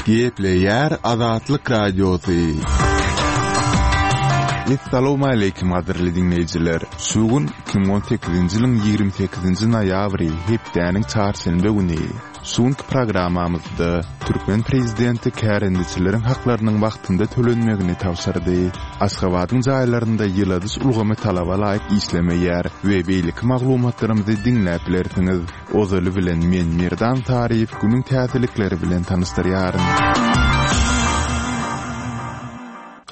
Gepleýär Azatlyk Radiosy. Essalawmaleýkim gadyrly diňleýjiler! Şu gün 2018-nji ýylyň 28-nji noýabry, hepdäniň çarşenbe güni. Şu günki programmamyzda türkmen prezidenti kärendeçileriň haklarynyň wagtynda tölenmegini tabşyrdy. Aşgabadyň jaýlarynda ýyladyş ulgamy talaba laýyk işlemeýär we beýleki maglumatlarymyzy diňläp bilersiňiz. Ozaly bilen men Merdan Saryýew günüň täzelikleri bilen tanyşdyrýaryn.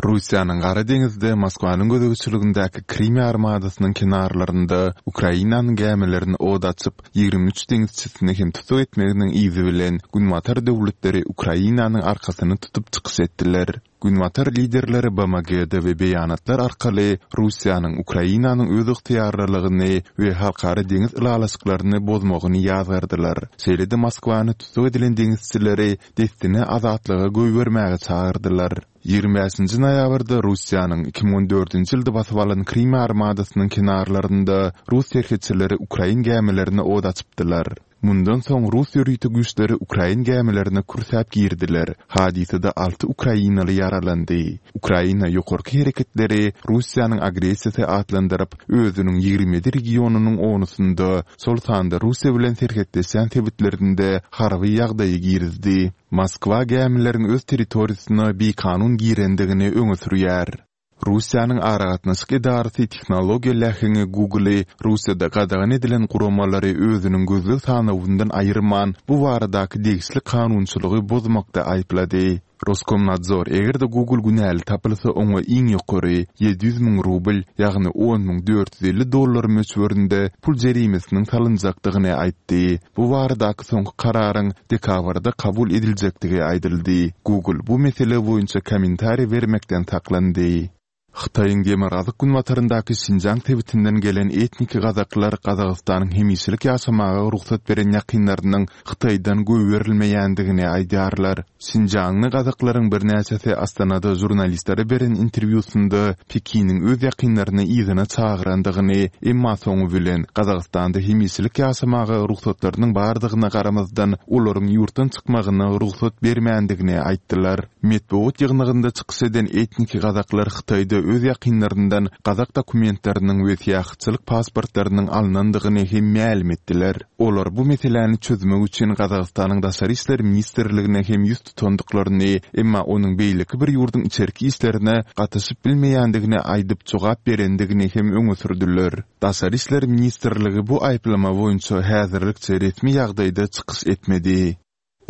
Russiýanyň Gara deňizde Moskwanyň gözegçiligindäki Krym ýarymadasynyň kenarlarynda Ukrainanyň gämilerini ot açyp, 23 deňizçisini hem tussag etmeginiň yzy bilen Günbatar döwletleri Ukrainanyň arkasyny tutup çykyş etdiler. Günbatar liderleri BMG-de we beýanatlar arkaly Russiýanyň Ukrainanyň özygtyýarlylygyny we halkara deňiz ylalaşyklaryny bozmagyny ýazgardylar. Şeýle-de Moskwany tussag edilen deňizçileri dessine azatlyga goýbermäge çagyrdylar. 25-nji noýabrda Russiýanyň 2014-nji ýylda basyp alan Krym ýarymadasynyň kenarlarynda rus serhetçileri ukrain gämilerine ot açypdylar. Mundan soň rus ýörite güýçleri ukrain gämilerine kürsäp girdiler. Hadysada alty ukrainaly ýaralandy. Ukraina ýokarky hereketleri Russiýanyň agressiýasy atlandyryp, özüniň 27 regionynyň onusynda, şol sanda Russiýa bilen serhetleşýän sebitlerinde harby ýagdaýy girizdi. Moskwa gämileriň öz territoriýasyna bikanun girendigini öňe sürýär. Russiýanyň aragatnaşyk edarasy tehnologiýa läheňi Google-y Russiýada gadagan edilen guramalary özüniň gözleg sanawyndan aýyrman, bu baradaky degişli kanunçylygy bozmakda aýyplady. Roskomnadzor eger-de Google günäli tapylsa oňa iň ýokary 700 müň rubl, ýagny 10 450 dollar möçberinde pul jerimesiniň salynjakdygyny aýtdy. Bu baradaky soňky kararyň dekabrda kabul ediljekdigi aýdyldy. Google bu mesele boýunça kommentariý bermekden saklandy. Hytaýyň demirgazyk-günbataryndaky Şinjiang sebitinden gelen etniki gazaklar Gazagystanyň hemişelik ýaşamaga rugsat beren ýakynlarynyň Hytaýdan goýberilmeýändigini aýdýarlar. Şinjiangly gazaklaryň birnäçesi Astanada žurnalistlere beren interwýusynda Pekiniň öz ýakynlaryny yzyna çagyrandygyny, emma soňy bilen Gazagystanda hemişelik ýaşamaga rugsatlarynyň bardygyna garamazdan, olaryň ýurtdan çykmagyna rugsat bermändigini aýtdylar. Metbugat ýygnagynda çykyş eden etniki gazaklar Hytaýda öz ýakynlaryndan gazak dokumentleriniň we syýahatçylyk pasportlarynyň alnandygyny hem mälim etdiler. Olar bu meseläni çözmek üçin Gazagystanyň Daşary işler ministrligine hem ýüz tutandyklaryny, emma onuň beýleki bir ýurduň içerki işlerine gatyşyp bilmeýändigini aýdyp jogap berendigini hem öňe sürdüler. Daşary işler ministrligi bu aýyplama boýunça häzirlikçe resmi ýagdaýda çykyş etmedi.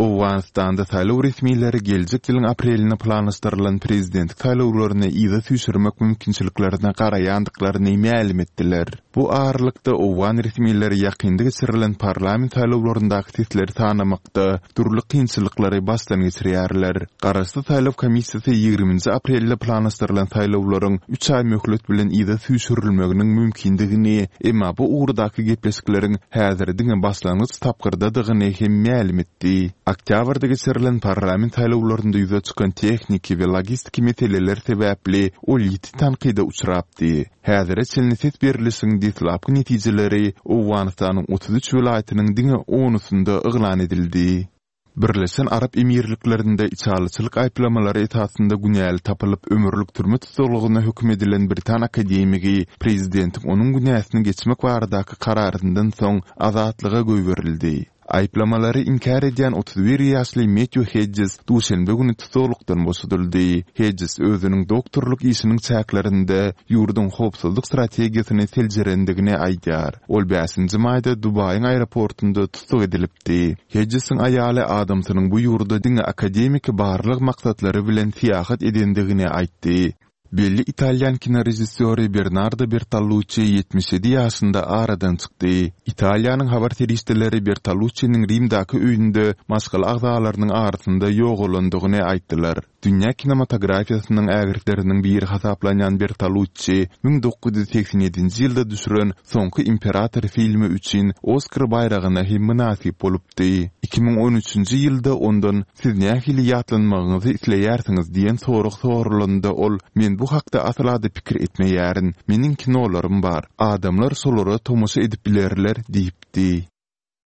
Owganystanda saýlaw resmileri geljek ýylyň apreline planlaşdyrylan prezidentlik saýlawlaryny yza süýşürmek mümkinçiliklerine garaýandyklaryny mälim etdiler. Bu aralykda, owgan resmileri ýakynda geçirilen parlament saýlawlaryndaky sesleri sanamakda dürli kynçylyklary başdan geçirýärler. Garaşsyz saýlaw komissiýasy ýigriminji aprelde planlaşdyrylan saýlawlaryň üç aý möhlet bilen yza süýşürilmeginiň mümkindigini, emma bu ugurdaky gepleşikleriň häzir diňe başlangyç tapgyrdadygyny hem mälim etdi. Oktýabrda geçirilen parlament saýlawlarynda ýüze çykan tehniki we logistiki meseleler sebäpli ol ýiti tankyda uçrapdy. Häzire çenli ses berlişigiň deslapky netijeleri Owganystanyň 33 welaýatynyň diňe onusynda yglan edildi. Birleşen Arap Emirliklerinde içalyçylyk aýyplamalary esasynda günäli tapylyp, ömürlik türme tussaglygyna höküm edilen britan akademigi prezidentiň onuň günäsini geçmek baradaky kararyndan soň azatlyga goýberildi. Aýyplamalary inkär edýän 31 ýaşly Metýu Hedjes duşenbe güni tussaglykdan boşadyldy. Hedjes özüniň doktorlyk işiniň çäklerinde ýurduň howpsuzlyk strategiýasyny seljerendigini aýdýar. Ol bäşinji maýda Dubaýyň aeroportunda tussag edilipdi. Hedjesiň aýaly adamsynyň bu ýurda diňe akademiki barlag maksatlary bilen syýahat edendigini aýtdy. Belli italýan kinorežissýory Bernardo Bertoluççi 77 ýaşynda aradan çykdy. Italiýanyň habar serişdeleri Bertoluççiniň Rimdäki öýünde maşgala agzalarynyň arasynda ýogalandygyny aýtdylar. Dünýä kinematografiýasynyň ägirtleriniň biri hasaplanýan Bertoluççi 1987-nji ýylda düşüren Soňky imperator filmi üçin Oskar baýragyna hem mynasyp bolupdy. 2013-nji ýylda ondan Siz nähili ýatlanmagyňyzy isleýärsiňiz diýen sorag soralanda ol Men bu hakda asla-da pikir etmeýärin. Meniň kinolarym bar. Adamlar şolara tomaşa edip bilerler diýipdi.